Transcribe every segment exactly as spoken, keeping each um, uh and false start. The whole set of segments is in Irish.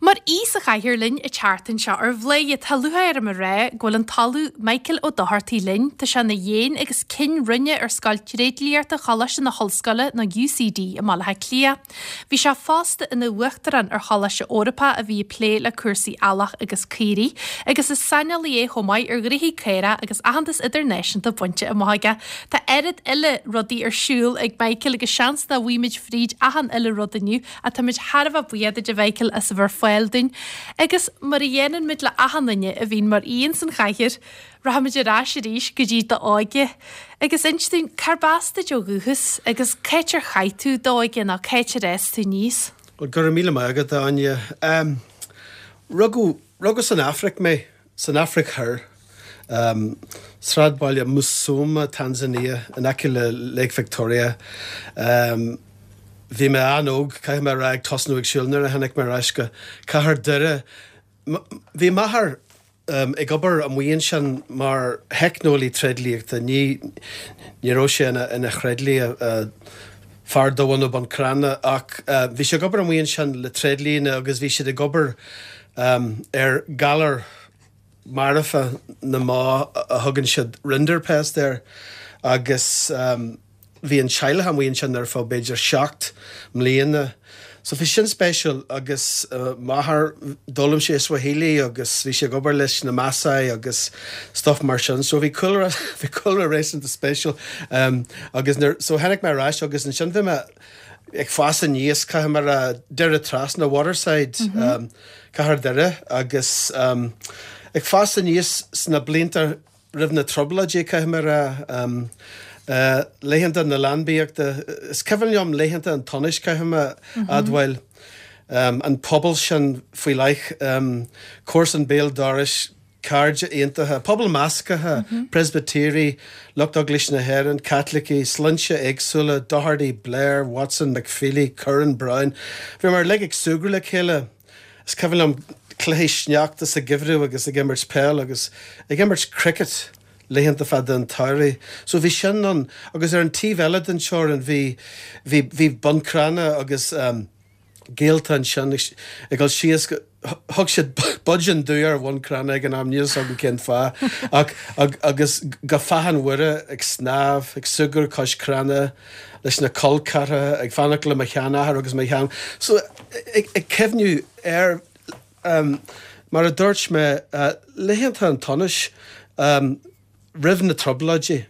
Mar aoi sa chathaoir linn an tseachtain seo ar Bhladhaire tá lúcháir orm a rá go bhfuil an tOllamh Michael Ó Dochartaigh linn, tá sé ina dhéan agus cinn roinne ar Scoil Tréidliachta Choláiste na hOllscoile nó UCD i mBaile Átha Cliath. Bhí sé fosta ina uachtarán ar Choláiste Eorpach a bhí ag plé le cúrsaí eallach agus caoirigh, agus is saineolaí é chomh maith ar ghnoithí caorach agus aitheantas idirnáisiúnta bainte amach aige. Tá oiread eile rudaí ar siúl ag Michael agus seans nach bhfaighimid fríd achan uile rud inniu ach táimid thar a bheith buíoch duit a Mhichael as a bheith ar fáil dúinn. Agus mar a dhéanann muid le achan duine a bhíonn mar aoi san chathaoir, rachaimid ar ais arís go dtí d'óige. Agus inis dúinn cárb as duit ó dhúchas agus cá háit ar chaith tú d'óige nó cá háit ar fhás tú aníos. Well go raibh míle maith agat Áine. Um, rugadh rugadh san Afraic mé san Afraic Thoir. Um, sráidbhaile Musoma, Tanzania, in aice le Lake Victoria. Um, bhí mé an-óg caithfidh mé a rá ag tosnú ag siúl nuair a tháinig mé ar ais go cathair Doire. Bhí m'athair um, ag obair amuigh ansin mar theicneolaí tréidliachta ní ní raibh sé ina, ina thréidlia uh, fear dubh nó Bun Cranncha ach uh, bhí sé ag obair amuigh ansin le tréidlianna agus bhí siad ag obair um, ar galar marfach na mba a thugann siad rinderpest air agus um, bhí an teaghlach amuigh ansin ar feadh b'fhéidir seacht mbliana. So bhí sin spéisiúil agus uh, m'athair d'fhoghlaim sé Swahili agus bhí sé ag obair leis na Maasai agus stuff mar sin, so bhí cúlra bhí cúlra réasúnta spéisiúil um, agus nuair, so tháinig mé ar ais agus ansin bhí mé ag fás aníos caithfidh mé a rá Doire Trasna Waterside mm -hmm. um, cathair Doire agus um, ag fás aníos sna blianta roimh na trioblóidí caithfidh mé a rá um, Uh, laethanta na leanbaíochta is cuimhin liom laethanta an tsonais caithfidh mé mm -hmm. admháil um, an pobal sin faoi leith um, comharsan béal dorais cairde iontacha, pobal measctha, mm -hmm. Presbytéirigh, lucht Eaglais na hÉireann, Caitlicigh, sloinnte éagsúla, Doherty, Blair, Watson, McFeely, Curran, Brown. Bhí muid uilig ag súgradh le chéile. Is cuimhin liom cluichí sneachta sa gheimhreadh agus ag imirt peil agus ag imirt cricket laethanta fada an tsamhraidh. So bhí sin an agus ar an taobh eile den teorainn bhí bhí bhí Bun Cranncha agus um, gaolta ansin ag dul síos thug siad Budgeon Dubh ar Bhun Cranncha ag an am níl a fhios agam cén fáth ach agus go Fathach Mhuire ag snámh ag súgradh cois cranna leis na col ceathracha ag fanacht le mo sheanathair agus mo shean. So ag, ag cuimhniú ar um, mar a dúirt mé uh, laethanta an tsonais um, roimh na trioblóidí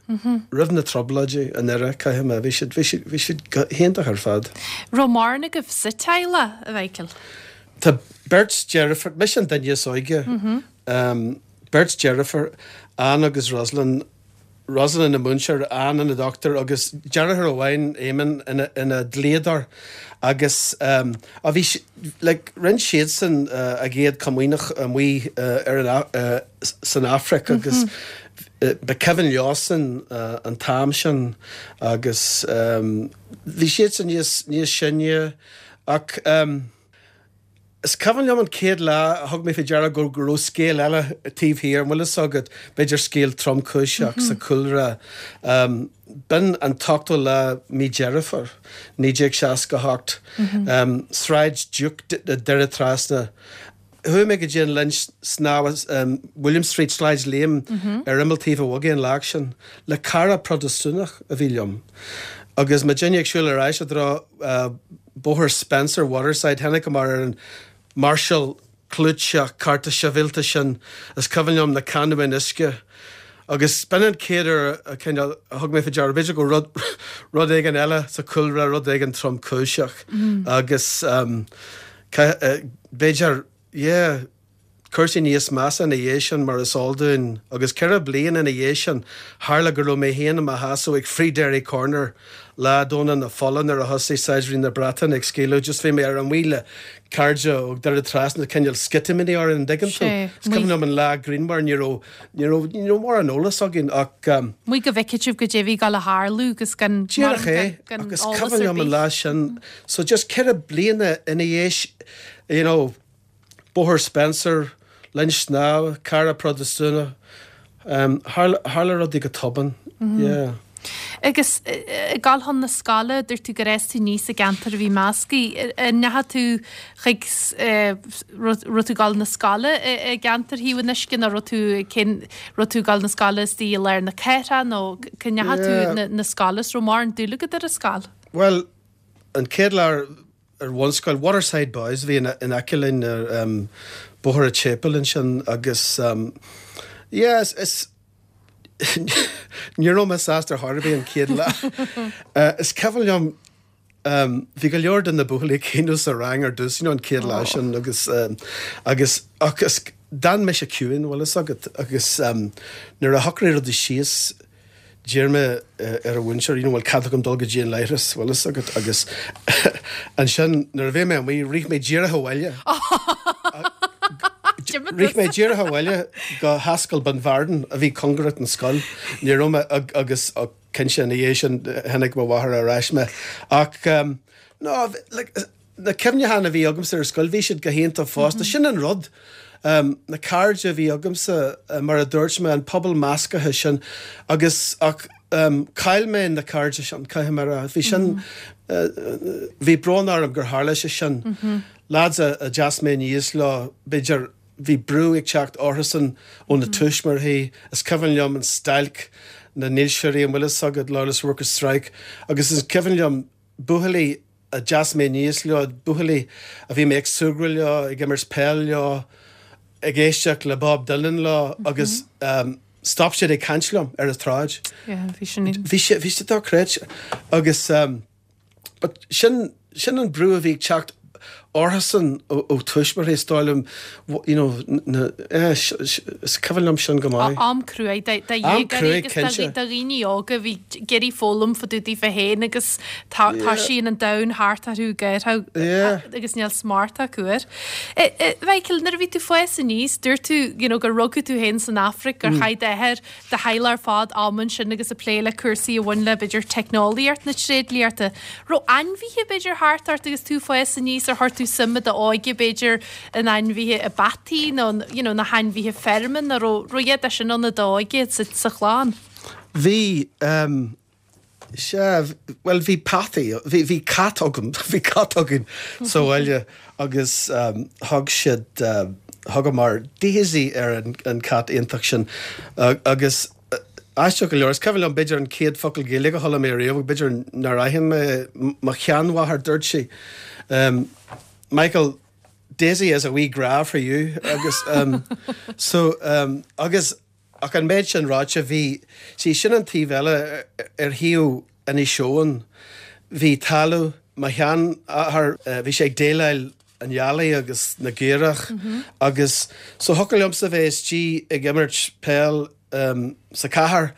roimh na trioblóidí an era caithfidh mé bhí siad bhí siad bhí siad hiontach ar fad. Raibh mórán agaibh sa teaghlach a Mhichael. Tá beirt deirfiúr mise an duine is óige um, beirt deirfiúr Ann agus Rosalind Rosalind ina múinteoir Ann ina dochtúir agus deartháir amháin Éamon ina, ina dlíodóir agus um, a bhí like, rinne siadsan uh, a gcéad chomaoineach amuigh uh, ar an, uh, san Afraic agus mm -hmm. uh, ba cuimhin leosan uh, an t-am sin agus um, bhí siadsan níos níos sine ach um, Is cuimhin liom an chéad lá a thug mé faoi deara go go raibh scéal eile taobh thiar, bhfuil fhios agat b'fhéidir scéal tromchúiseach mm -hmm. sa chúlra. Um, B'in an t-ochtú lá mí Deireadh Fómhair, naoi déag seasca hocht. Mm -hmm. um, Sráid Duke Doire Trasna. Chuaigh mé go dtí an linn snámha um, William Street Sráid Liam mm -hmm. ar imeall Taobh an Bhogaigh an lá sin le cara Protastúnach a bhí liom. Agus muidinne ag siúl ar ais i dtreo uh, Bóthar Spencer Waterside tháinig mar ar an máirseáil clúiteach cearta sibhialta sin is cuimhin liom na canúin uisce. Agus b'in an chéad uair a thug mé faoi deara b'fhéidir go rud rud éigin eile sa chúlra rud éigin tromchúiseach mm. agus um, b'fhéidir yeah, cúrsaí níos measa ina dhiaidh sin mar is eol dúinn agus ceithre bliana ina dhiaidh sin tharla go raibh mé féin i mo sheasamh ag Free Derry Corner lá Domhnach na Fola nuair a thosaigh saighdiúirí na Breataine ag scaoileadh just bhí mé ar an mhaoile cairde ó Doire Trasna cineál sceitimíní ar an dtuigeann tú. Is cuimhin liom an lá grianmhar ní raibh ní raibh ní raibh mórán eolas againn ach um, Muid go bhfeicfidh sibh goidé a bhí ag dul a tharlú agus gan Díreach é agus cuimhin liom an lá sin so just ceithre bliana ina dhiaidh you know Bóthar Spencer, linn snámha, cara Protastúnach, um, tharla rudaí go tobann. Mm -hmm. Yeah. Agus ag gabháil chun na scoile, dúirt tú gur fhás tú aníos i gceantar a bhí measctha. An ndeachaigh tú chuig, raibh tú ag gabháil na scoile i gceantar Thaobh an Uisce nó raibh tú, cén, raibh tú ag gabháil na scoile istigh i lár na cathrach nó cá ndeachaigh tú na scoile is raibh mórán dúil agat ar an scoil? Bhuel, an chéad lá ar bhunscoil, Waterside Boys a bhí in aice linn ar Bóthar an tSéipéil ansin agus yeah, is, Ní raibh mé sásta ar chor ar bith an chéad lá. Is cuimhin liom, bhí go leor de na buachaillí ag caoineadh sa rang ar dtús, you know, an chéad lá sin agus, agus, agus d'fhan mise ciúin, bhfuil fhios agat, agus nuair a shocraigh rudaí síos, d'iarr mé ar an mhúinteoir, you know, bhfuil cead agam dul go dtí an leithreas, bhfuil fhios agat, agus ansin nuair a bhí mé amuigh, rith mé díreach abhaile. Rith mé díreach abhaile go hAscaill Bunvarden a bhí cóngarach don scoil. Ní raibh mé agus cinnte ina dhiaidh sin tháinig mo mháthair ar ais mé. Ach no, like, na cuimhneacháin a bhí agamsa ar scoil, bhí siad go hiontach fosta. Sin an rud. Na cairde a bhí agamsa, mar a dúirt mé, an pobal measctha sin agus ach chaill mé na cairde sin, caithfidh mé a rá. Bhí sin, bhí brón orm gur tharla sé sin. Lads a d'fhás mé aníos leo, b'fhéidir, bhí brú ag teacht orthusan ó na tuismitheoirí, is cuimhin liom an stailc na ndílseoirí, an bhfuil fhios agat, Loyalist Workers Strike, agus is cuimhin liom buachaillí a d'fhás mé aníos leo, buachaillí a bhí mé ag súgradh leo, ag imirt peil leo, ag éisteacht le Bob Dylan leo agus stop siad ag caint liom ar an tsráid. Yeah, bhí sin. Bhí sé, bhí sé dochreidte. Agus but sin, sin an brú a bhí ag teacht orthusan ó, ó tuismitheoirí, is dóigh liom, you know, na, eh, is cuimhin liom sin go maith. Am cruaidh do dhéagóirí agus do dhaoine óga a bhí ag iarraidh foghlaim fá dtaobh daofa féin agus tá tá sí an domhan thart orthu géar agus níl smacht acu air. Mhichael, nuair a bhí tú ag fás aníos, dúirt tú you know, gur rugadh tú féin san Afraic, gur chaith d'athair do theaghlach ar fad am ansin agus ag plé le cúrsaí a bhain le b'fhéidir teicneolaíocht na tréidliachta. Raibh ainmhithe b'fhéidir thart ort agus tú ag fás aníos ar chuir tú suim i d'óige b'fhéidir in ainmhithe i bpeataí nó you know, na hainmhithe feirme nó raibh raibh iad sin ann i d'óige sa, sa chlann? Bhí, um, sea, bhuel bhí peataí, bhí, bhí cat agam, bhí cat againn sa bhaile agus um, thug siad, uh, thugamar Daisy ar an, an cat iontach sin uh, agus uh, aisteach go leor, is cuimhin liom b'fhéidir an chéad focal Gaeilge a chuala mé riamh, b'fhéidir nár aithin mé mo sheanmháthair dúirt sí. Um, Michael, Daisy is a wee grá for you agus um, so um, agus ach an méid sin ráite bhí sí sin an taobh eile ar thaobh Inis Eoghain bhí talamh mo sheanathair bhí sé ag déileáil an eallaigh agus na gcaorach mm -hmm. agus so thiocfadh liomsa bheith istigh ag imirt peil um, sa chathair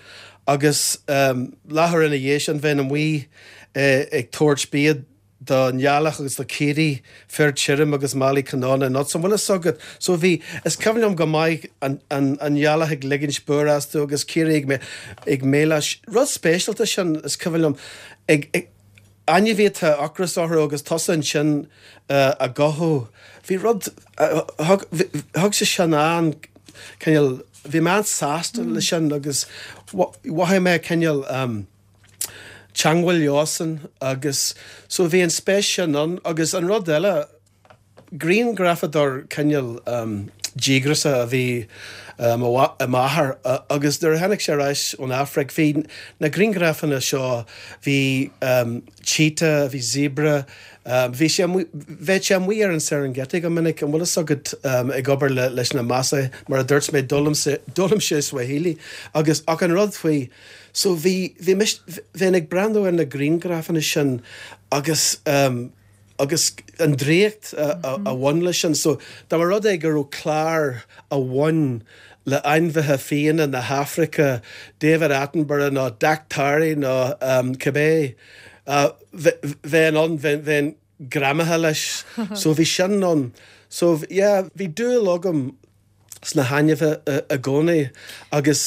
agus um, leathuair ina dhiaidh sin bheinn amuigh uh, ag tabhairt bia don eallach agus do chaoirigh féar tirim agus málaí cnónna nuts an bhfuil fhios agat so bhí is cuimhin liom go maith an, an, an eallach ag ligint búir astu agus caoirigh ag, ag méileach rud speisialta sin is cuimhin liom ag, ag ainmhí atá ocras orthu agus tusa ansin uh, á gcothú bhí rud uh, thug, thug sé sin an cineál bhí mé an-sásta mm. le sin agus mhothaigh mé cineál um, teagmháil leosan agus so bhí an spéis sin ann agus an rud eile grianghrafadóir cineál um, díograiseach a bhí um, i m'athair uh, agus nuair a tháinig sé ar ais ón Afraic bhí na grianghrafanna seo bhí um, cheetah, bhí zebra, um, bhí sé bheadh sé amuigh ar an Serengeti go minic an bhfuil fhios agat um, ag obair le, leis na Maasai mar a dúirt mé d'fhoghlaim sé Swahili agus ach an rud faoi so bhí bhí bheinn ag breathnú ar na grianghrafanna sin agus um, agus an draíocht a, a, a bhain leis sin so dá mba rud é go raibh clár a bhain le ainmhithe fiáine na hAfraice David Attenborough nó Daktari nó um, cibé uh, bheinn ann bheinn greamaithe leis so bhí sin ann so yeah, bhí dúil agam sna hainmhithe i gcónaí agus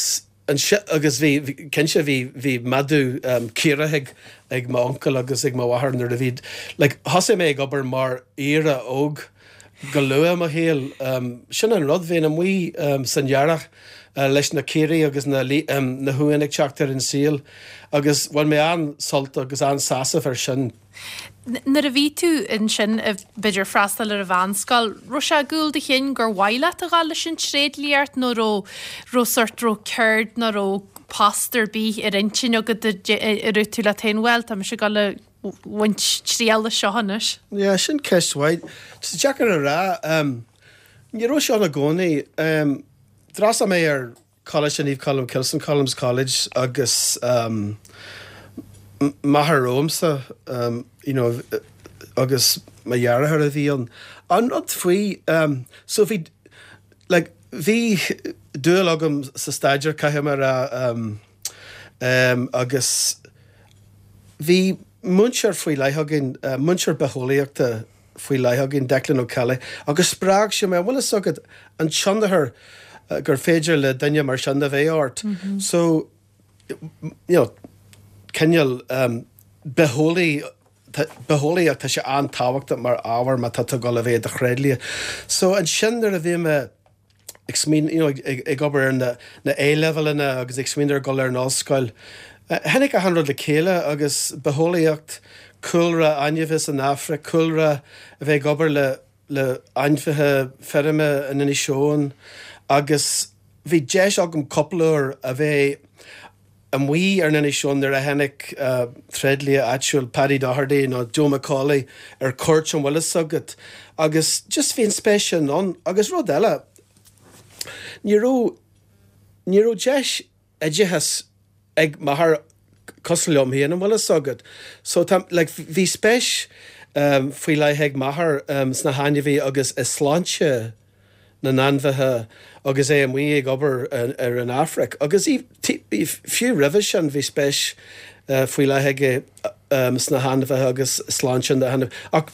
agus bhí cinnte bhí bhí madadh um, caorach ag ag m'uncail agus ag mo mháthair nuair a bhí like, thosaigh mé ag obair mar aoire óg go luath i mo shaol. Sin an rud, bheinn amuigh san earrach leis na caoirigh agus na na huain ag teacht ar an saol agus bhain mé an-sult agus an-sásamh ar sin. Nuair a bhí tú ansin, b'fhéidir freastal ar an mheánscoil, raibh sé i gcúl do chinn gur mhaith leat a ghabháil leis an tréidliacht nó raibh raibh sort raibh ceird nó raibh post ar bith ar intinn agat a raibh tú leat féin, bhuel, tá mise ag dul a bhaint triail as seo anois? Yeah, sin ceist mhaith. Tá sé deacair a rá. Ní raibh sé ann i gcónaí. D'fhreastail mé ar Coláiste Naomh Colmcille, St Columb's College agus m'athair romhamsa, you know, agus mo dheartháir a bhí ann. An rud faoi, so bhí, like, bhí dúil agam sa staidéar, caithfidh mé a rá, agus bhí múinteoir faoi leith againn, múinteoir bitheolaíochta faoi leith againn, Declan Ó Ceallaigh, agus spreag sé mé, an bhfuil fhios agat an tionchar gur féidir le duine mar sin a bheith ort. So, you know, cineál bitheolaí, bitheolaíocht, tá sé an-tábhachtach mar ábhar má tá tú ag dul a bheith i do thréidlia. So ansin nuair a bhí mé ag smaoineamh, you know, ag, ag obair ar na, na A-levelanna agus ag smaoineamh ar dhul ar an ollscoil, tháinig achan rud le chéile agus bitheolaíocht, cúlra ainmhithe san Afraic, cúlra a bheith ag obair le, le ainmhithe feirme in Inis Eoghain agus bhí deis agam cúpla uair a bheith amuigh ar an Inis Eoghain nuair a tháinig tréidlia áitiúil Paddy Doherty nó Joe McCauley ar cuairt an bhfuil fhios agat agus just bhí an spéis sin ann agus rud eile ní raibh ní raibh deis oideachais ag m'athair cosúil liom féin an bhfuil fhios agat so tá like bhí spéis faoi leith ag m'athair sna hainmhithe agus i sláinte na n-ainmhithe agus é amuigh ag obair ar an Afraic. Agus fiú roimhe sin bhí spéis faoi leith aige sna hainmhithe agus sláinte na n-ainmhithe. Ach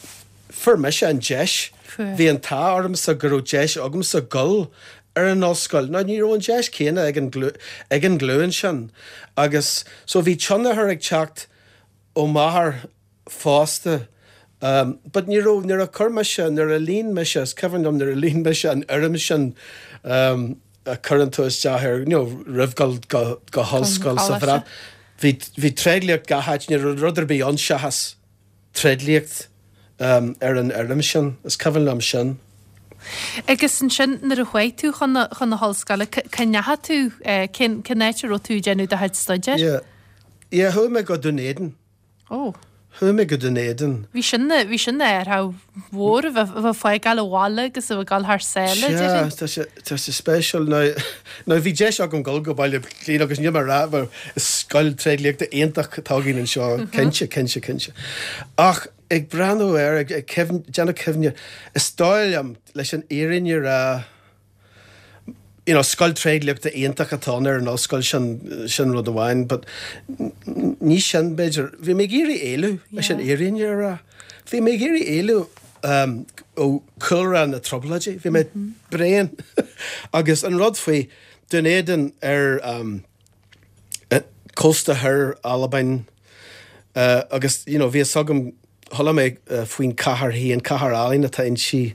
fuair mise an deis, bhí an t-ádh ormsa go raibh deis agamsa dul ar an ollscoil. Now ní raibh an deis céanna ag an ag an nglúin sin. Agus so bhí tionchar ag teacht ó m'athair fosta. Um, but ní raibh nuair a chuir mise nuair a líon mise is cuimhin liom nuair a líon mise an fhoirm sin um, a chuireann tú isteach ar you know, roimh go, go, go hollscoil sa Bhreatain. Bhí, bhí tréidliacht gach áit, ní raibh rud ar bith ann seachas tréidliacht um, ar an fhoirm sin, is cuimhin liom sin. Agus ansin nuair a chuaigh tú chun na, chun na hollscoile, cá ndeachaigh tú, eh, cén, cén áit a raibh tú ag déanamh do chuid staidéir? Yeah. Yeah, chuaigh mé go Dún Éideann. Oh. Chuaigh mé go Dún Éideann. Bhí sin bhí sin ar mhór a bheith ag fágáil an bhaile agus a bheith ag dul thar sáile, Sea, tá sé tá sé spéisiúil. Now now bhí deis agam dul go Baile Átha Cliath agus níl mé ag rá mar is scoil tréidliachta iontach atá againn anseo, cinnte, cinnte, cinnte. Ach ag breathnú air, ag ag cuimhn déanamh cuimhne, is dóigh liom leis an fhírinne a rá, you know, scoil tréidliachta iontach atá ann ar an ollscoil sin, sin rud amháin, but ní sin b'fhéidir, bhí mé ag iarraidh éalú leis an fhírinne a rá. Bhí mé ag iarraidh éalú um, ó chúlra na trioblóidí, bhí mé bréan. Agus an rud faoi Dún Éideann ar um, cósta thoir Albain, uh, agus you know, bhí fhios agam chuala mé uh, faoin cathair féin, cathair álainn atá inti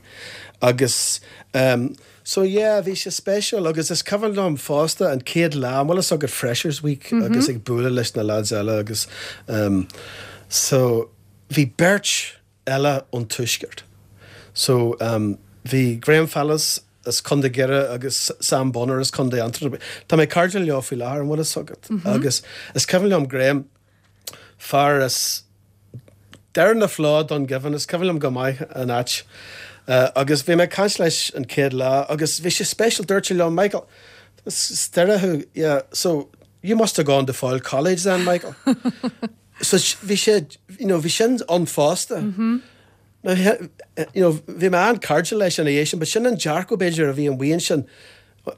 agus um, so yeah, bhí sé spéisiúil agus is cuimhin liom fosta an chéad lá, an bhfuil fhios agat Freshers Week mm -hmm. agus ag bualadh leis na lads eile agus um, so bhí beirt eile ón tuaisceart. So um, bhí Graham Fallis as Contae Dhoire agus Sam Bonner as Contae Aontroma. Tá mé cairdiúil leo faoi láthair an bhfuil fhios agat. Mm -hmm. Agus is cuimhin liom Graham fear as Deireadh na Fló Dungiven is cuimhin liom go maith an áit. Uh, agus bhí mé caint leis an chéad lá agus bhí sé spéisiúil dúirt sé liom Michael as Doire thú yeah so you must have gone to Foyle College then Michael. so bhí sé you know, bhí sin ann fosta. Mm -hmm. Now, you know, bhí mé an-chairdiúil leis ina dhiaidh sin, but sin an dearcadh b'fhéidir a bhí an bhíonn sin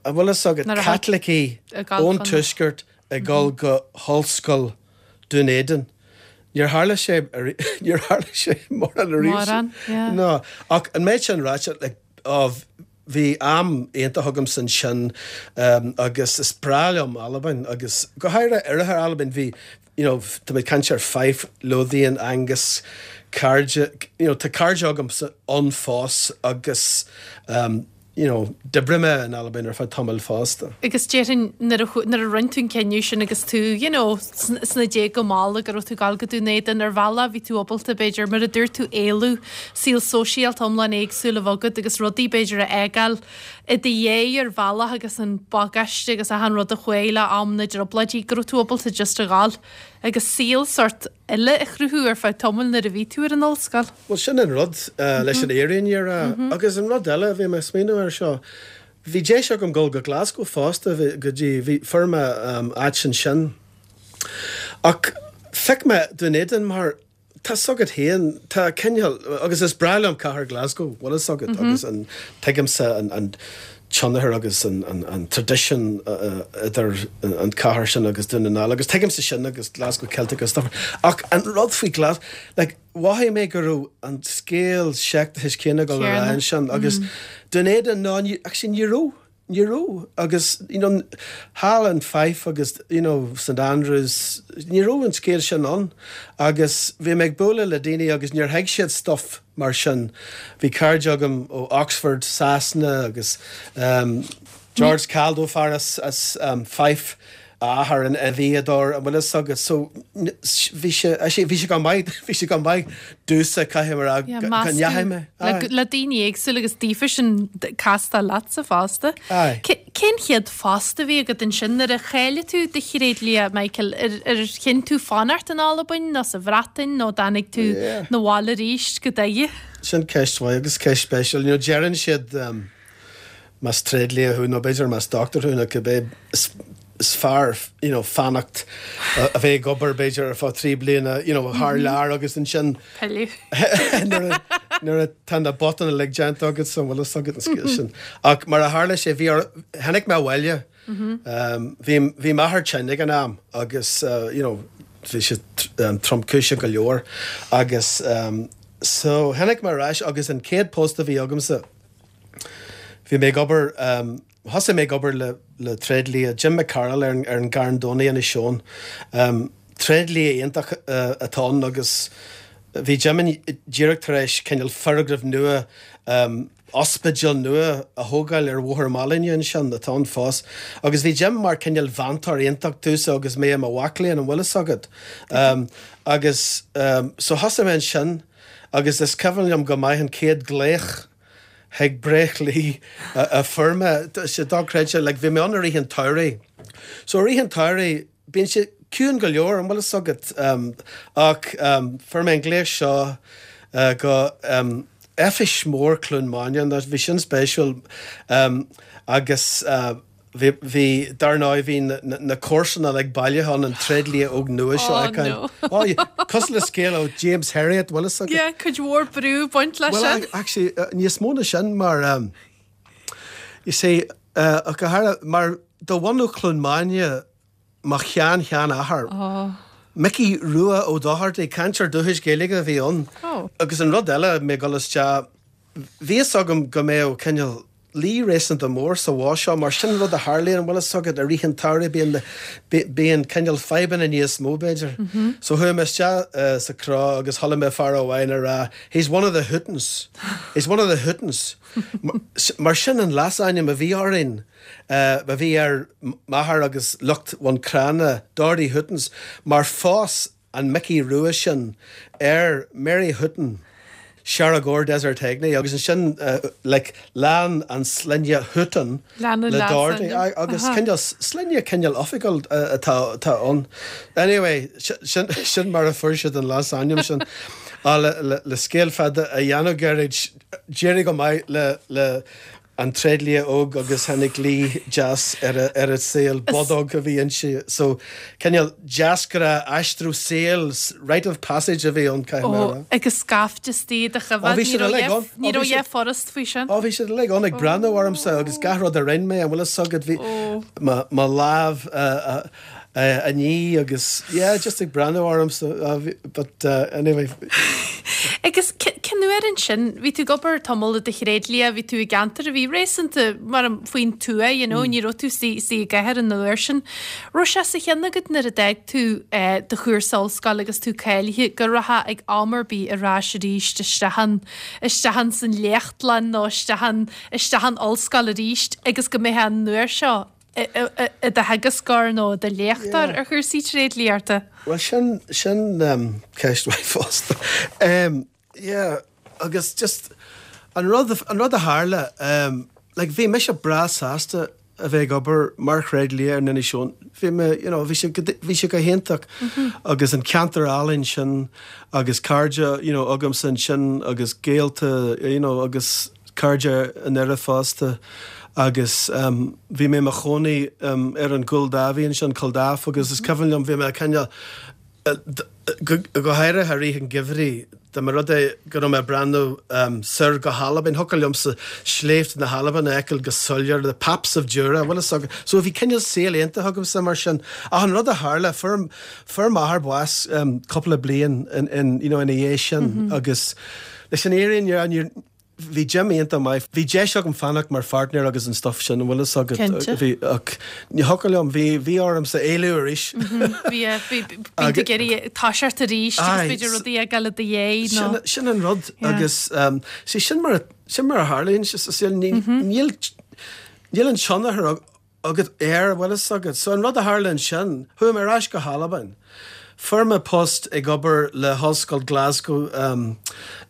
an bhfuil fhios agat Caitlicigh ón tuaisceart ag dul go hollscoil Dún Éideann. Níor tharla sé níor tharla sé mórán Mórán, yeah. No, ach an méid sin ráite like, oh, bhí am iontach agamsa ansin um, agus is breá liom Albain agus go háirithe oirthear Albain bhí you know, tá mé ag caint ar Fife, Lothian, Angus, cairde, you know, tá cairde agamsa ann fós agus um, you know, d'oibrigh mé in Albain ar feadh tamaill fosta. Agus déarfainn nuair a chu- nuair a rinne tú an cinneadh sin agus tú, you know, sn- sna déaga malla go raibh tú ag gabháil go Dún Éideann ar bhealach bhí tú ábalta b'fhéidir mar a dúirt tú éalú saol sóisialta iomlán éagsúil a bheith agat agus rudaí b'fhéidir a fhágáil i do dhiaidh ar bhealach agus an bagáiste agus achan rud a chuaigh le am na dtrioblóidí go raibh tú ábalta just a ghabháil agus saol sort eile a chruthú ar feadh tamaill nuair a bhí tú ar an ollscoil. Well sin an rud uh, leis an fhírinne a rá agus an rud eile bhí mé ag smaoineamh air seo. Bhí deis agam dul go Glasgow fosta bhí- go dtí bhí fuair mé um, áit ansin. Ach phioc mé Dún Éideann mar tá a fhios agat féin tá cineál agus is breá liom cathair Glasgow bhfuil a fhios agat agus an tuigimse an, an tionchar agus an, an, an tradition uh, idir an, an cathair sin agus Dún na nGall agus tuigimse sin agus Glasgow Celtic agus stuff. Ach an rud faoi Glas like, mhothaigh mé go raibh an scéal seicteachais céanna go Céanna. an sin agus Dún Éideann ná ní- actually ní raibh ní raibh agus you know, thall in Fife agus you know, St Andrews ní raibh an scéal sin ann agus bhí mé ag bualadh le daoine agus níor thuig siad stuff mar sin. Bhí cairde agam ó Oxford, Sasana agus um, George Caldo fear as, as um, Fife athair an a bhíadóir an bhfuil a fhios agat so n- s- bhí sé actually, bhí sé go maith bhí sé go maith domhsa caithfidh mé Yeah, go ndeachaigh mé. Le, le daoine éagsúla agus daofa sin casta leatsa fosta. Aye. Ce- Cén chéad phost a bhí agat ansin nuair a cháiligh tú do thréidlia Michael ar ar chinn tú fanacht in Albain nó sa Bhreatain nó tháinig tú Yeah. na bhaile arís go Doire. Sin ceist mhaith agus ceist speisialta. You know, deireann siad um, más tréidlia thú nó b'fhéidir más doctor thú nó cibé is is fearr you know, fanacht uh, a bheith ag obair b'fhéidir ar feadh trí bliana you know, thar lear agus ansin Pilleadh. nuair a- nuair atá na botúin uilig déanta agat san bhfuil a fhios agat an scéal sin. Ach mar a tharla sé bhí ar- tháinig mé abhaile um, bhí bhí m'athair tinn ag an am agus uh, you know, bhí sé um, tromchúiseach go leor agus um, so tháinig mé ar ais agus an chéad post a bhí agamsa Bhí mé ag obair um, thosaigh mé ag obair le le tréidlia Jim McCarroll ar, an- ar an Gcarn Domhnach in Sean. Um, tréidlia iontach uh, atá ann agus bhí Jim díreach tar éis cineál foirgneamh nua um, ospidéal nua a thógáil ar Bhóthar Mailinne ansin atá ann fós. Agus bhí Jim mar cineál mentor iontach domhsa agus mé i mo mhac léinn an bhfuil a fhios agat. Um, agus um, so thosaigh mé ansin agus is cuimhin liom go maith an chéad glaoch chuig bréachlaí a fuair mé sé dochreidte le bhí mé ann i rith an tsamhraidh. So i rith an tsamhraidh bíonn sé ciúin go leor an bhfuil a fhios agat um, ach um, fuair mé an glaoch seo uh, go um, oifig mór Cluain Maine bhí sin spéisiúil um, agus uh, bhí bhí dar ndóigh bhí na, na, na comharsana le baile an an tréidlia óg nua seo Oh, oh, no. oh, Cosúil le scéal ó James Herriot bhfuil a fhios agat. Yeah, cuid mhór brú baint leis Well, sin. ac- actually, uh, níos mó ná sin mar um, you see, uh, ach go háirithe mar de bhunadh Chluain Maine mo shean-sheanathair. Oh. Mickey Rua Ó Dochartaigh cainteoir dúchais Gaeilge a bhí ann. Oh. Agus an rud eile mé ag dul isteach bhí a fhios agam go mbeadh cineál luí réasúnta mór sa bhá seo mar sin rud a tharlaíonn an bhfuil a fhios agat i rith an tsamhraidh bíonn bíonn cineál fadhbanna níos mó b'fhéidir. Mm -hmm. So chuaigh mé isteach uh, sa cró agus chuala mé fear amháin ag rá he's one of the Hootons. He's one of the Hootons. Mar- Mar sin an leasainm a bhí orainn. Uh, a bhí ar m'athair agus lucht Bhun Cranncha Doherty Hootons mar phós an Mickey Rua sin ar Mary Hutton. Seargóir Desert Hegney agus ansin uh, like, lean an sloinne Hutton Lean an le Doherty leasainm. agus Aha. cineál sloinne cineál oifigiúil uh, atá atá ann. Anyway, sin, sin mar a fuair siad an leasainm sin a le, le, le scéal fada a dhéanamh gairid d'éirigh go maith le le an tréidlia óg agus tháinig luí deas ar a, ar a saol bodóg a bhí inti. So cineál deasgra aistriú saoil rite of passage a bhí ann caithfidh mé a rá. Ó, agus scaifte istigh do Ó, bhí siad uilig ann. Ní Ó, bhí raibh siad- forest faoi sin. Ó bhí siad uilig ann ag breathnú ormsa agus gach rud a rinne mé an bhfuil a fhios agat bhí Ó. mo lámh uh, uh, uh, a ní agus yeah, just ag breathnú ormsa uh, bhí- but uh, anyway Agus cén uair ansin, bhí tú ag obair tamall i do thréidlia, bhí tú i gceantar a bhí réasúnta mar faoin tuath, you know, ní raibh tú istigh i gcathair an uair sin. Raibh sé sa cheann agat nuair a d'fhág tú do chúrsa ollscoile agus tú cáilithe go rachfá ag am ar bith ar ais arís isteach an, isteach an san léachtlann nó isteach an, isteach an ollscoil arís agus go mbeifeá an uair seo i do theagascóir nó i do léachtóir ar chúrsaí tréidliachta? Bhuel, sin, sin ceist mhaith fosta. Yeah, agus just an rud, an rud a tharla, like bhí mise breá sásta a bheith ag obair mar thréidlia ar Inis Eoghain. Bhí mé, you know, bhí sé, bhí sé go hiontach agus an ceantar álainn sin agus cairde, you know, agamsa ansin agus gaolta, you know, agus cairde i nDoire fosta agus bhí mé i mo chónaí ar an gCúil Dáibhí ansin, Culdaff, agus is cuimhin liom bhí mé cineál, go háirithe i rith an gheimhridh, dá mba rud é go raibh mé ag breathnú soir go hAlbain, thiocfadh liomsa sléibhte na hAlban a fheiceáil go soiléir, the Paps of Jura, bhfuil fhios agat. So bhí cineál saol iontach agamsa mar sin. Ach an rud a tharla, fuair, fuair m'athair bás cúpla bliain in, in, you know, ina dhiaidh sin agus leis an fhírinne, níor, Bhí Jim iontach maith. Bhí deis agam fanacht mar pháirtnéir agus an stuff sin, an bhfuil fhios agat? Cinnte. Bhí, ach ní thiocfadh liom, bhí, bhí ormsa éalú arís. Bhí, bhí, bíonn tú ag iarraidh toiseacht arís agus b'fhéidir rudaí a fhágáil i do dhiaidh nó. Sin, sin an rud agus see sin mar a, sin mar a tharlaíonn sé sa saol, ní, níl, níl an tionchar agat air, an bhfuil fhios agat. So an rud a tharla ansin, chuaigh mé ar ais go hAlbain. Fuair mé post ag obair le hOllscoil Glasgow um,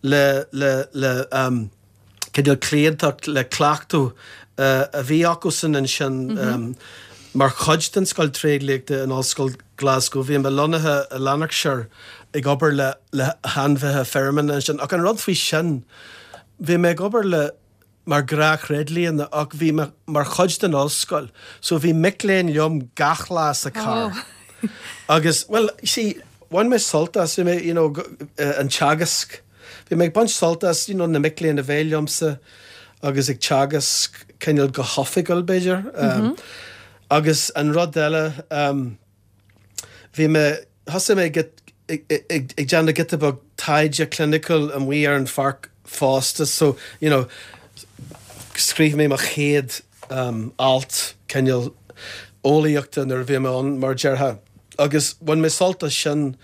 le, le, le um, cineál cliantacht le cleachtadh uh, a bhí acusan ansin mm -hmm. um, mar chuid den scoil tréidliachta in Ollscoil Glasgow. Bhí mé lonnaithe i Lanarkshire ag obair le, le hainmhithe feirme ansin. Ach an rud faoi sin, bhí mé ag obair le mar ghnáth-thréidlia ach bhí mé mar chuid den ollscoil so bhí mic léinn liom gach lá sa carr. Oh. Agus, well, see, bhain mé sult as, bhí mé, you know, an teagasc. Bhí mé ag baint sult as, you know, na mic léinn a bheith liomsa agus ag teagasc cineál go hoifigiúil b'fhéidir. Um, mm -hmm. Agus an rud eile, um, bhí mé, thosaigh mé ag ag déanamh giota beag taighde cliniciúil amuigh ar an pháirc fosta so, you know, scríobh mé mo chéad um, alt cineál eolaíochta nuair a bhí mé ann mar déarfá agus bhain mé sult as sin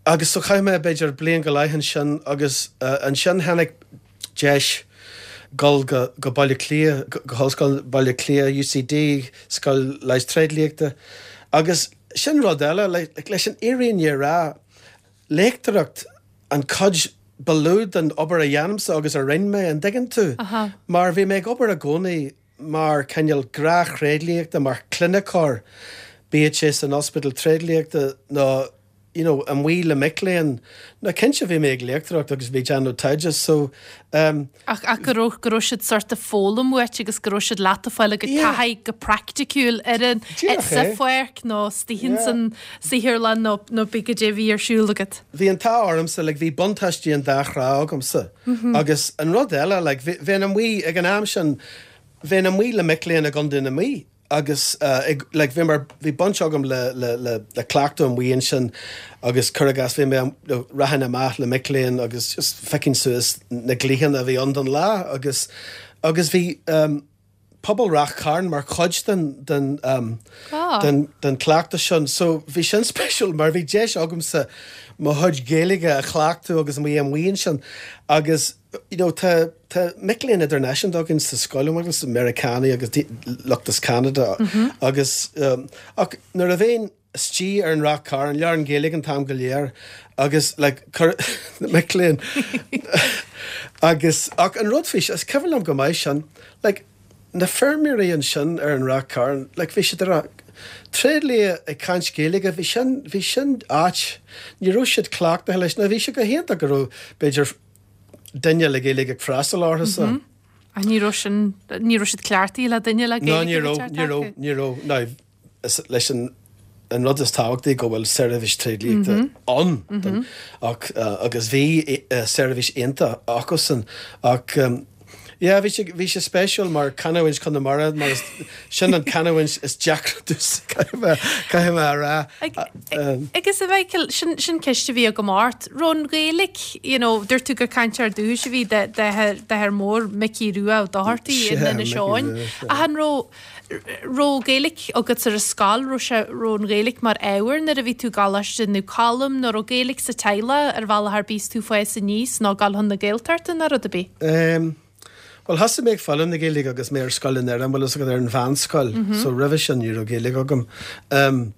agus so chaith mé b'fhéidir bliain go leith ansin agus uh, ansin tháinig deis dul go, go Baile Átha Cliath, go, go hOllscoil Baile Átha Cliath, UCD, Scoil Leighis Tréidliachta agus sin rud eile, like, leis an fhírinne a rá, léachtóireacht an chuid ba lú den obair a dhéanaimse agus a rinne mé, an dtuigeann tú? Mar bhí mé ag obair i gcónaí mar cineál gnáth-thréidliachta, mar chliniceoir, bíodh sé san ospidéal tréidliachta nó you know, amuigh le mic léinn. Now cinnte bhí mé ag léachtóireacht agus bhí déanamh taighde so um, Ach, ach go raibh go raibh siad sort of foghlaim uait agus go raibh siad leat ag fáil a gcuid Yeah. taithí go praiticiúil ar an Díreach sa é. pháirc nó istigh Yeah. san saotharlann nó nó pé cad é a bhí ar siúl agat. Bhí an t-ádh ormsa, like, bhí buntáistí an dá thrá agamsa. Agus an rud eile, like, bhí, bheinn amuigh ag an am sin, bheinn amuigh le mic léinn i gContae na Mí agus ag, like, bhí mar, bhí baint agam le, le, le, le cleachtadh amuigh ansin agus cuir i gcás bhí mé, you know, rachainn amach le mic léinn agus just phiocfainn suas na glaochanna a bhí ann don lá agus, agus bhí um, pobal Ráth Chairn mar chuid den, den, um, Ah. den, den cleachtadh sin. So bhí sin speisialta mar bhí deis agamsa mo chuid Gaeilge a chleachtadh agus mé amuigh ansin agus you know, tá, tá mic léinn idirnáisiúnta againn sa scoil agus Meiriceánaigh agus lucht as Canada mm -hmm. agus um, ach nuair a bheinn istigh ar an Ráth Chairn labhrainn Gaeilge an t-am go léir agus like, cur, mic léinn agus ach an rud faoi is cuimhin liom go maith sin like, na feirmeoirí ansin ar an Ráth Chairn like, bhí siad ar tréidlia ag caint Gaeilge bhí sin bhí sin ait ní raibh siad cleachtaithe leis na bhí sé go hiontach go raibh b'fhéidir duine le Gaeilge ag freastal orthu sa. Mm -hmm. A ní raibh sin ní raibh siad cleachtaithe le duine le Gaeilge. No ní raibh ní raibh ní raibh no leis an an rud is tábhachtaí go bhfuil seirbhís tréidliachta mm -hmm. ann mm -hmm. ach uh, agus bhí uh, seirbhís iontach acusan ach um, Yeah, bhí sé bhí sé spéisiúil mar canúint Chonamara mar is- sin an canúint is deacra caithfidh mé a rá. Ag- Agus a Mhichael, sin sin ceist a bhí agam ort. Raibh an Ghaeilge, you know, dúirt tú gur cainteoir dúchais a bhí de d'athair mór Micí Rua Ó Dochartaigh in Sea, Inis Micí Eoghain. Rua, sea. Ach an raibh raibh Gaeilge agat ar an scoil, raibh sé raibh an Ghaeilge mar ábhar nuair a bhí tú ag coláiste nó Colm, nó raibh Gaeilge sa teaghlach ar bhealach ar bith is tú ag fás aníos nó ag gabháil chun na Gaeltachta nó rud ar bith. Um, Well thosaigh mé ag foghlaim na Gaeilge agus mé ar scoil in Éirinn, bhfuil agat ar an mheánscoil, so roimhe sin ní raibh Gaeilge agam. Um,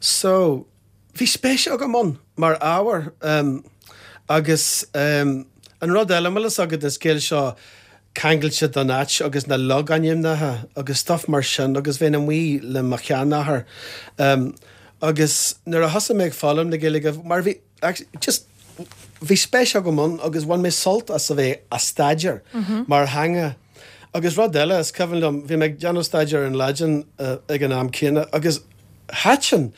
so bhí spéis agam ann mar ábhar um, agus um, an rud eile bhfuil agat an scéal seo ceangailte don áit agus na logainmneacha agus stuff mar sin agus bheinn amuigh le mo sheanathair. Um, agus nuair a thosaigh mé ag foghlaim na Gaeilge mar bhí actually, just bhí spéis agam ann agus bhain mé sult as a bheith á staidéar mar theanga. Agus rud eile is cuimhin liom bhí mé ag déanamh staidéar an Laidin uh, ag an am céanna agus thaitin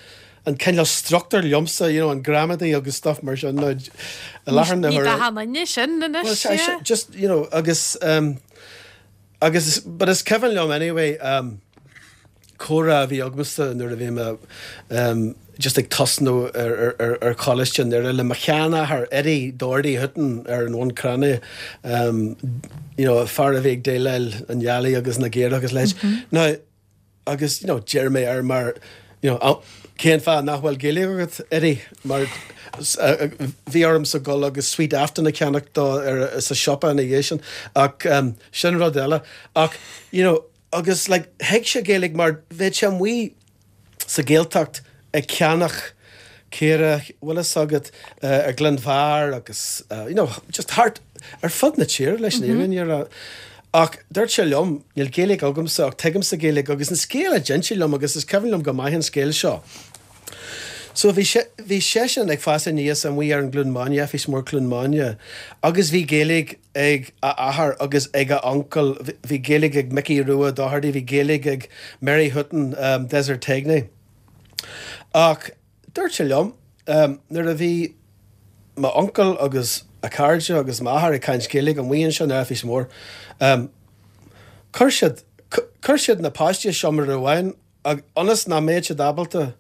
an cineál struchtúr liomsa you know, an gramadaí agus stuff mar sin nó i láthair na Ní huaire- dahanna sin Well, anois, I, yeah. just you know agus um, agus but is cuimhin liom anyway um, comhrá a bhí agamsa nuair a bhí mé um, just ag tosnú ar, ar, ar, ar choláiste ar le mo sheanathair Eddie Doherty Hutton ar an Bhun Cranncha um, you know, fear a bhí ag déileáil an eallaigh agus na gcaorach agus leis. Mm -hmm. Now, agus you know, deir mé air mar you know, oh, cén fáth nach bhfuil Gaeilge agat Eddie mar uh, bhí ormsa gul agus Sweet Afton a cheannach dó ar sa siopa ina dhiaidh sin ach um, sin rud eile ach you know, agus like, thuig sé Gaeilge mar bhí sé amuigh sa Ghaeltacht ag ceannach caora bhfuil agat uh, ar Glenvar agus uh, you know, just thart ar fud na tíre leis an mm -hmm. Ach dúirt sé liom níl Gaeilge agamsa ach tuigimse Gaeilge agus an scéal a d'inis sé liom agus is cuimhin liom go maith an scéal seo. So bhí sé bhí seisean ag fás aníos amuigh ar an gCluain Maine fís mór Cluain Maine, agus bhí Gaeilge ag a athair agus ag a uncail bhí Gaeilge ag Mickey Rua Doherty, bhí Gaeilge ag Mary Hutton um, Desertegne. Ach dúirt sé liom um, nuair a bhí m'uncail agus a chairde agus m'athair ag caint Gaeilge amuigh ansin ar fís mór. Um, Chuir siad chuir siad na páistí seomra amháin ionas nach mbeadh siad ábalta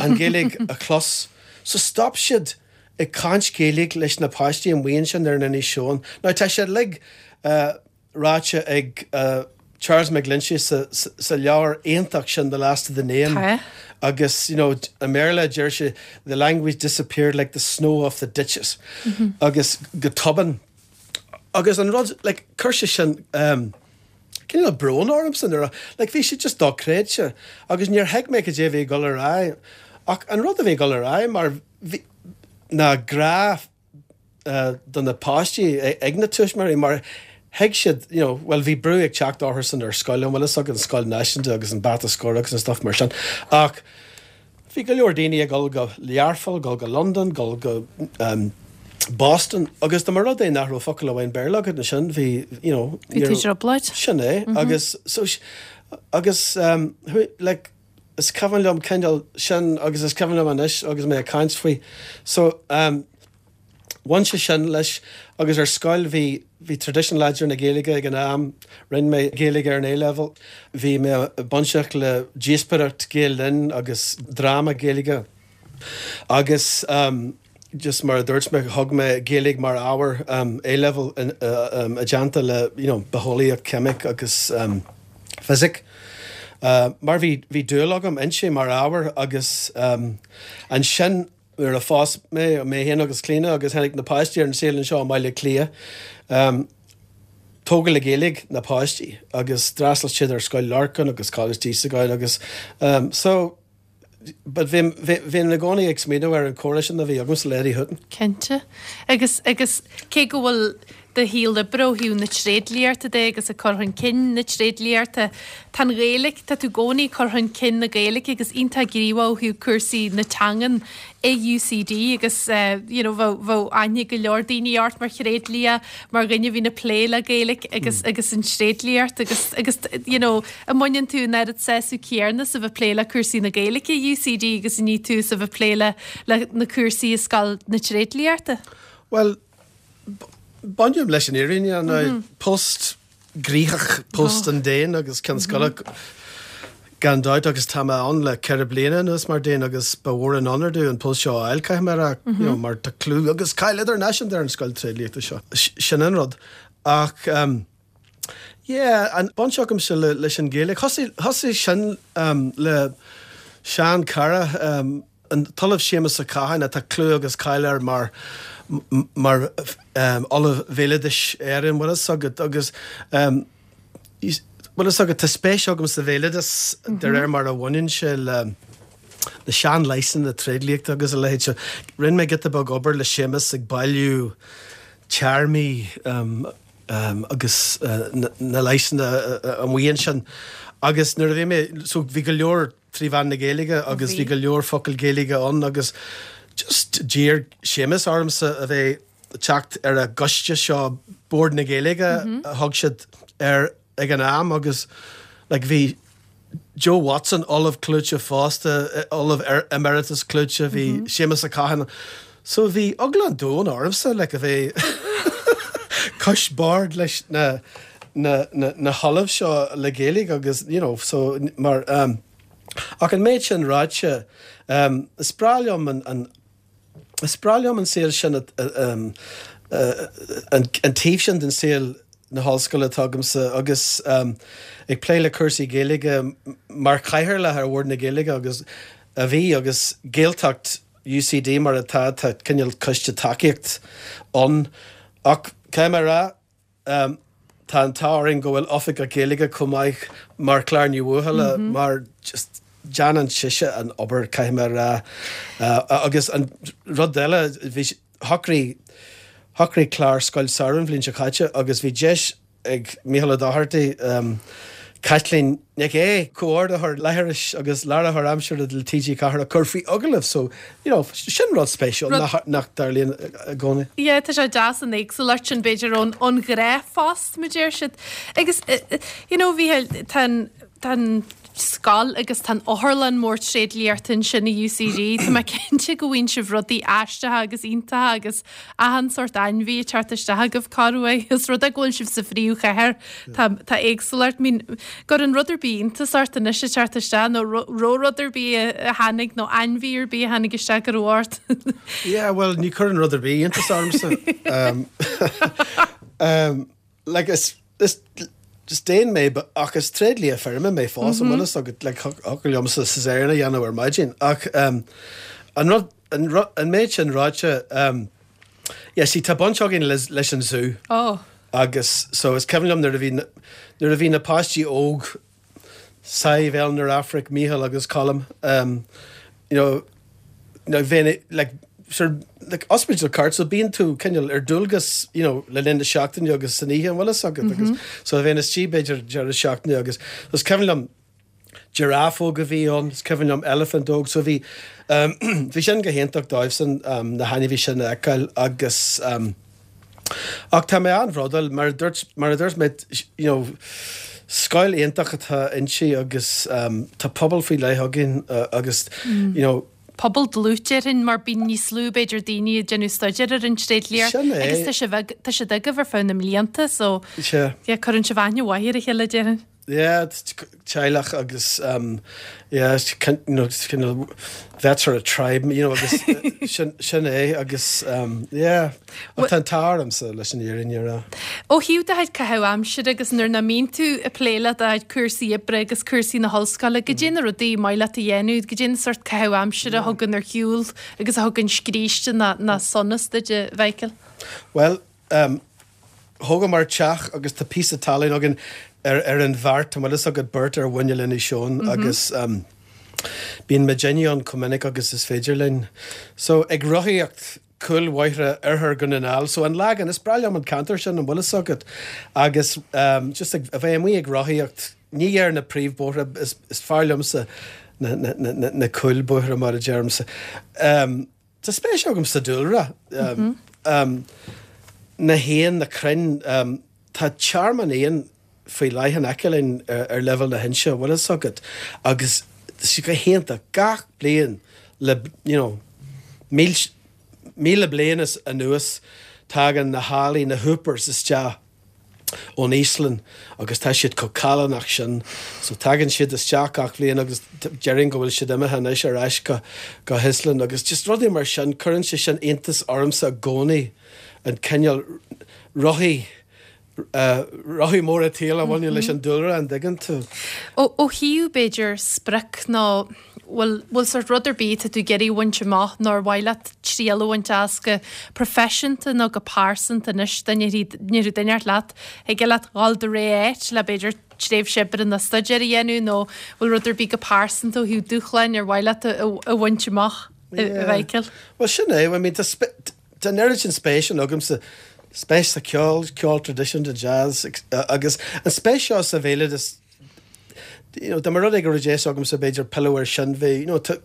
an Ghaeilge a chlos. So stop siad ag caint Gaeilge leis na páistí amuigh ansin ar an Inis Eoghain. Now tá sé like uh, ráite ag uh, Charles McGlinchey sa, sa, sa leabhar iontach sin the last of the name. Tá. Agus you know, i mBéarla deir sé the language disappeared like the snow off the ditches. Mm -hmm. Agus go tobann. Agus an rud like, chuir sé sin um, cineál brón ormsa nuair a like, bhí sé just dochreidte agus níor thuig mé cad é bhí ag dul ar aghaidh. Ach an rud a bhí ag dul ar aghaidh mar bhí ná grá uh, do na páistí ag na tuismitheoirí mar thuig siad you know, well bhí brú ag teacht orthu san ar scoil an bhfuil ag an scoil náisiúnta agus an bata scór agus an stuff mar sin. Ach bhí go leor daoine ag dul go Learpholl, gul go London, gul go um, Boston agus dá mba rud é nach raibh focal amháin Béarla agat ansin bhí you know, Bhí tú trioblóid? Sin é agus so agus um, like, is cuimhin liom cineál sin agus is cuimhin liom anois agus mé ag caint faoi. So um, bhain sé sin leis agus ar scoil bhí bhí tradition láidir na Gaeilge ag an am, rinne mé Gaeilge ar an A-level, bhí mé bainteach le díospóireacht Gael Linn agus dráma Gaeilge. Agus um, just mar a dúirt mé thug mé Gaeilge mar ábhar um, A-level in, uh, um, i dteannta le you know, bitheolaíocht ceimic agus um, fisic. Uh, mar bhí bhí dúil agam inti mar ábhar agus um, ansin nuair a phós mé mé féin agus Clíona agus tháinig na páistí ar an saol anseo i mBaile Átha Cliath. Um, tógadh le Gaeilge na páistí agus d'fhreastail siad ar scoil Lorcan agus Coláiste Íosagáin agus um, so but bhí bhí i gcónaí ag smaoineamh ar an chomhrá sin a bhí agam le Eddie Hutton. Cinnte. Agus agus cé go bhfuil do shaol oibre ó thaobh na tréidliachta de agus a chur chun cinn na tréidliachta Tá Gaeilge tá tú i gcónaí cur chun cinn na Gaeilge agus iontach gníomhach ó thaobh cúrsaí na teangan i UCD agus uh, you know, bheadh aithne go leor daoine ort mar thréidlia mar dhuine a bhíonn ag plé le Gaeilge agus mm. agus an tréidliacht agus agus you know, an mbaineann tú an oiread sásamh céanna as a bheith plé le cúrsaí na Gaeilge i UCD agus ní tú sa bheith plé le le na cúrsaí i scoil na tréidliachta. Well, Bainim leis an fhírinne an post gnoitheach post an Déin agus Ceann Scoile gan dabht agus tá mé ann le ceithre bliana anuas mar Déan agus ba mhór an onóir domh an post seo a fháil caithfidh mé a rá you know, mar tá clú agus cáil idirnáisiúnta ar an scoil tréidliachta seo. Sin an rud. Ach um, yeah, an baint agamsa le, leis an Ghaeilge. Thosaigh sin um, le sean cara um, an tOllamh Séamus Ó Catháin atá clú agus cáil air mar mar um, Ollamh Bhéaloidis Éireann bhfuil fhios agat agus um, bhfuil fhios agat tá spéis agam sa bhéaloideas de réir mar a bhaineann sé le na seanleigheasanna tréidliachta agus a leithéid seo. Rinne mé giota beag obair le Séamus ag bailiú téarmaí um, um, agus uh, na, na leigheasanna uh, amuigh ansin. Agus nuair a bhí mé so bhí go leor trí mheán na Gaeilge agus bhí go leor focal Gaeilge ann agus just d'iarr Séamus ormsa a bheith teacht ar a gcoiste seo Bord na Gaeilge a thug siad ar ag an am agus like, bhí Joe Watson Ollamh clúiteach fosta Ollamh emeritus clúiteach bhí mm -hmm. Séamus Ó Catháin so bhí eagla an domhain ormsa le a bheith cois boird leis na na, na, na hollaimh seo le Gaeilge agus you know, so mar um, ach an méid sin ráite um, is breá liom an, an is breá liom an saol sin um, uh, an, an taobh sin den saol na hollscoile atá agamsa agus um, ag plé le cúrsaí Gaeilge mar chathaoirleach ar Bhord na Gaeilge agus a bhí agus Gaeltacht UCD mar atá tá cineál coiste tacaíocht ann ach cé mar rá um, tá an t-ádh go bhfuil oifigeach Gaeilge chomh maith mar Clár Ní Bhuachalla mm -hmm. mar just déanann sise an obair caithfidh mé a rá uh, agus an rud eile bhí shocraigh shocraigh Clár scoil samhraidh an bhliain seo caite agus bhí deis ag Micheál Ó Dochartaigh um, Caitlín Nic Aodha comhordaitheoir láithris agus láithreoir aimsire le TG Ceathair a chur faoi agallamh so you know, sin rud spéisiúil nach, nach dtarlaíonn i gcónaí. Yeah, tá sé deas an éagsúlacht sin b'fhéidir ón ón ghnáthphost mar deir siad. Agus you know, bhí tá tá scoil agus tá otharlann mór tréidliachta ansin i UCD Tá mé cinnte go bhfaigheann sibh rudaí aisteacha agus iontacha agus achan sórt ainmhí ag teacht isteach agaibh corruair is rud é go bhfuil sibh sa phríomhchathair tá tá éagsúlacht mín gur an rud ar bith iontas ort anois ag teacht isteach nó ró rud ar bith a tháinig nó ainmhí ar bith a tháinig isteach go raibh ort. Yeah, well ní chuireann rud ar bith iontas ormsa. um, um, like is is just déan mé ach is tréidlia feirme mé fós an bhfuil agat le liomsa cesarean a dhéanamh ar maidin ach um, an rud an, an méid sin ráite um, yeah, sí tá baint againn leis, leis an zú oh. agus so is cuimhin liom nuair a bhí nuair a bhí na páistí óg Sadhbh Eleanor Afric Mícheál agus Colm um, you know, you know, bheith like, sort like hospital cart so bíonn tú cineál ar dualgas you know, le linn na seachtaine agus san oíche an bhfuil fhios agat agus so bheinn istigh b'fhéidir deireadh seachtaine agus is cuimhin liom giraffe óg a bhí ann is cuimhin liom elephant óg so bhí um, bhí sin go hiontach dóibhsan um, na hainmhithe sin a fheiceáil agus um, ach tá mé an-bhródúil mar a dúirt mar a dúirt mé you know, scoil iontach atá inti agus um, tá pobal faoi leith againn uh, agus mm. you know, pobal dlúth déarfainn mar bíonn níos lú b'fhéidir daoine ag déanamh staidéar ar an tréidliacht Sin é. agus tá sibh tá siad agaibh ar feadh na mblianta so Sea. yeah, cuireann sibh aithne mhaith ar a chéile déarfainn. Yeah, teaghlach agus um, yeah, it's kind, you know, it's kind of that sort of tribe, you know, agus sin, sin é agus um, yeah, ach tá an t-ádh ormsa leis an fhírinne a rá. Ó thaobh do chuid caitheamh aimsire agus nuair nach mbíonn tú ag plé le do chuid cúrsaí oibre agus cúrsaí na hollscoile, goidé na rudaí maith leat a dhéanamh, goidé na sórt caitheamh aimsire a thugann ar shiúl agus a thugann scríste ná, ná sonas duit a Mhichael. Well, um, thógamar teach agus tá píosa talún againn ar, ar an Bheart an bhfuil fhios agat beart ar bhuinneáil Inis Eoghain mm -hmm. agus um, bíonn muidinne ann chomh minic agus is féidir linn. So ag rothaíocht cúlbhóithre oirthear Dhún na nGall, so an Lagan is breá liom an ceantar sin an bhfuil fhios agat agus um, just ag, a bheith amuigh ag rothaíocht ní ar na príomhbóithre is, is fearr liomsa na, na, na, na, na cúlbhóithre mar a deirimse. Um, Tá spéis agam sa dúlra. Um, mm -hmm. um, na héin na crainn um, tá tearmann éan faoi leith in aice linn ar, ar leibhéal na hinse bhfuil fhios agat agus sé go hiontach gach bliain le you know, míle, míle bliain anuas Tagann na healaí, na hoopers isteach ón Íoslainn agus tá siad chomh callánach sin. So tagann siad isteach gach bhliain agus déarfainn go bhfuil siad imithe anois ar ais go go hÍoslainn agus just rudaí mar sin, cuireann sé sin iontas ormsa i gcónaí an cineál rothaí rothaí móra tsaoil a bhaineann leis an dúlra, an dtuigeann tú? Ó thaobh, b'fhéidir, sprioc nó bhfuil bhfuil sórt rud ar bith atá tú ag iarraidh a bhaint amach nó ar mhaith leat triail a bhaint as go proifisiúnta nó go pearsanta anois dá ndéarfadh duine inteacht leat, thig leat dhul do rogha áit le b'fhéidir tréimhse oibre nó staidéir a dhéanamh nó bhfuil rud ar bith go pearsanta ó thaobh dúshláin ar mhaith leat a bhaint amach, a Mhichael? Bhuel sin é, I mean tá tá an oiread sin spéis agamsa spéis sa cheol, ceol traidisiúnta, jazz agus an spéis seo sa bhéaloideas, you know, dá mba rud é go raibh deis agamsa b'fhéidir pilleadh air sin, bhí, you know, tá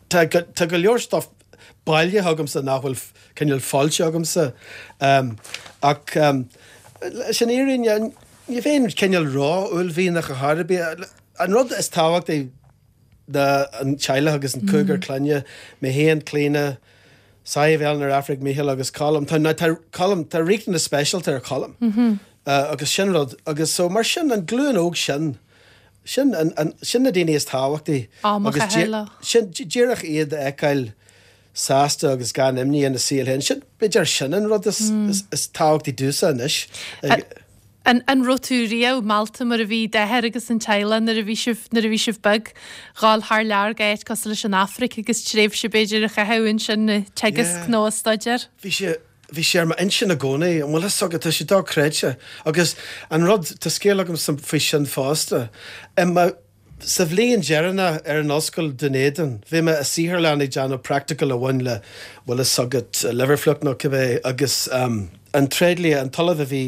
tá tá go leor stuff bailithe agamsa nach bhfuil cineál foilsithe agamsa. Um, ach um, leis an fhírinne, ní bheinn cineál ró-uaillmhianach ar chor ar bith. An rud is tábhachtaí ná an teaghlach agus an cúigear clainne, mé féin, Clíona, Sadhbh, Eleanor, Aifric, Mícheál agus Colm. Tá, tá, Colm, tá riachtanas speisialta ar Cholm. Mm -hmm. uh, agus sin rud, agus so mar sin an glúin óg sin, sin, an, an, sin na daoine is tábhachtaí. Agus sin díreach iad a fheiceáil sásta agus gan imní ina saol féin. Sin, b'fhéidir sin an rud is, mm. is, is tábhachtaí domhsa anois. An an raibh tú riamh meallta mar a bhí d'athair agus an teaghlach nuair a bhí sibh nuair a bhí sibh beag, dhul thar lear go áit cosúil leis an Afraic agus tréimhse b'fhéidir a chaitheamh ansin ag teagasc nó ag staidéar? Bhí sé bhí sé ar m'intinn i gcónaí, an bhfuil fhios agat, tá sé dochreidte. Agus an rud, tá scéal agam faoi sin fosta. I mo Sa bhliain dheireanach ar an ollscoil Dún Éideann, bhí mé i saotharlann ag déanamh practical a bhain le, bhfuil fhios agat, liver fluke nó cibé, agus an tréidlia, an t-ollamh a bhí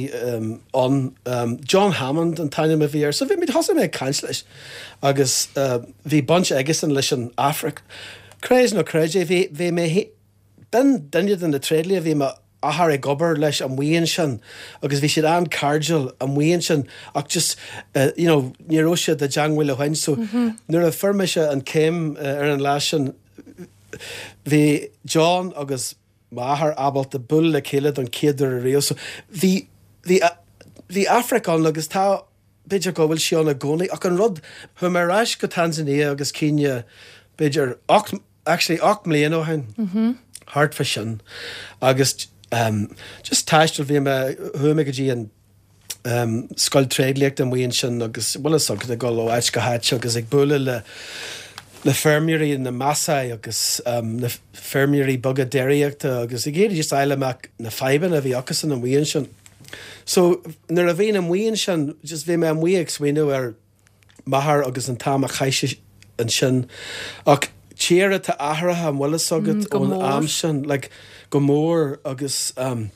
ann, John Hammond an t-ainm a bhí air, so bhí mé, thosaigh mé ag caint leis agus bhí baint aigesan leis an Afraic. Creid nó creid é, bhí, bhí mé, B'in duine de na tréidlia a bhí m'athair ag obair leis amuigh ansin agus bhí siad an-chairdiúil amuigh ansin ach just you know ní raibh siad i dteangmháil ó shin so nuair a fuair mise an chéim ar an lá sin bhí John agus m'athair ábalta bualadh le chéile don chéad uair ariamh so bhí bhí bhí Afraic ann agus tá b'fhéidir go bhfuil sí ann i gcónaí ach an rud chuaigh mé ar ais go Tanzania agus Kenya b'fhéidir ocht actually ocht mbliana ó shin, thart fá sin, agus just taisteal, bhí mé, chuaigh mé go dtí an scoil tréidliachta amuigh ansin agus bhfuil fhios agat ag dul ó áit go háit agus ag bualadh le le feirmeoirí na Maasai agus na feirmeoirí beaga déiríochta agus ag iarraidh just fháil amach na fadhbanna a bhí acusan amuigh ansin. So nuair a bhínn amuigh ansin, just bhí mé amuigh ag smaoineamh ar m'athair agus an t-am a chaith sé ansin. Ach tír atá athraithe, an bhfuil fhios agat, ón am sin, like, go mór agus um,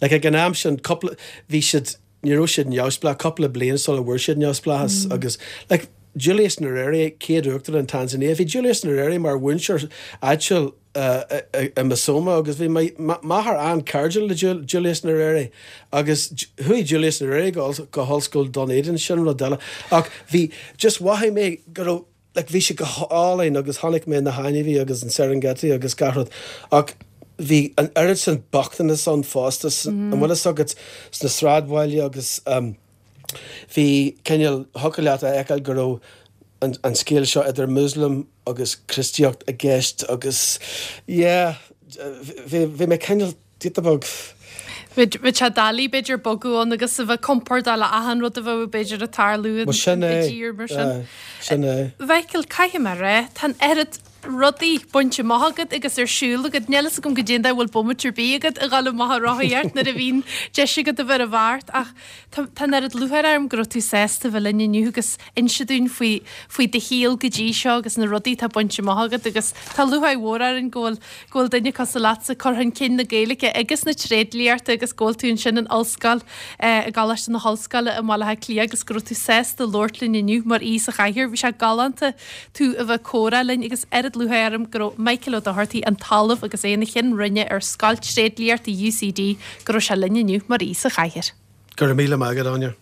like, ag an am sin, cúpla, bhí siad, ní raibh siad neamhspleách, cúpla bliain sula bhfuair siad neamhspleáchas mm. agus, like, Julius Nyerere, céad uachtarán Tanzania, bhí Julius Nyerere mar mhúinteoir áitiúil i Musoma agus bhí m'athair an-chairdiúil le Julius Nyerere agus chuaigh Julius Nyerere go hOllscoil Dún Éideann, sin rud eile. Ach bhí, just mhothaigh mé go raibh, like bhí sé go hálainn agus chonaic mé na hainmhithe agus an Serengeti agus gach rud ach bhí an oiread sin bochtanas ann fosta, an bhfuil fhios agat, sna sráidbhaile agus bhí cineál, thiocfadh leat a fheiceáil go raibh an an scéal seo idir Muslim agus Críostaíocht i gceist agus yeah bhí bhí mé cineál giota beag. Bheadh sé doiligh b'fhéidir bogadh ann agus a bheith compordach le achan rud a bheadh b'fhéidir ag tarlú i dtír mar sin. Sin é. Mhichael, caithfidh mé a rá, tá an oiread rudaí bainte amach agat agus ar siúl agat. Níl fhios agam goidé an dóigh a bhfuil bomaite ar bith agat a dhul amach ag rothaíocht nuair a bhíonn deis agat a bheith ar an bheart ach tá tá an oiread lúcháir orm go raibh tú sásta a bheith linn inniu agus inse dúinn faoi faoi do shaol go dtí seo agus na rudaí atá bainte amach agat agus tá lúcháir mhór orainn go bhfuil go bhfuil duine cosúil leatsa ag cur chun cinn na Gaeilge agus na tréidliachta agus go bhfuil tú ansin in ollscoil i gColáiste na hOllscoile i mBaile Átha Cliath agus go raibh tú sásta labhairt linn inniu mar aoi sa chathaoir. Bhí sé galánta tú a bheith ag comhrá linn agus oiread lúcháir orm go raibh Michael Ó Dochartaigh, an tOllamh agus é ina Cheann Roinne ar Scoil Tréidliachta UCD, go raibh sé linn inniu mar aoi sa chathaoir. Go raibh míle maith agat, Áine.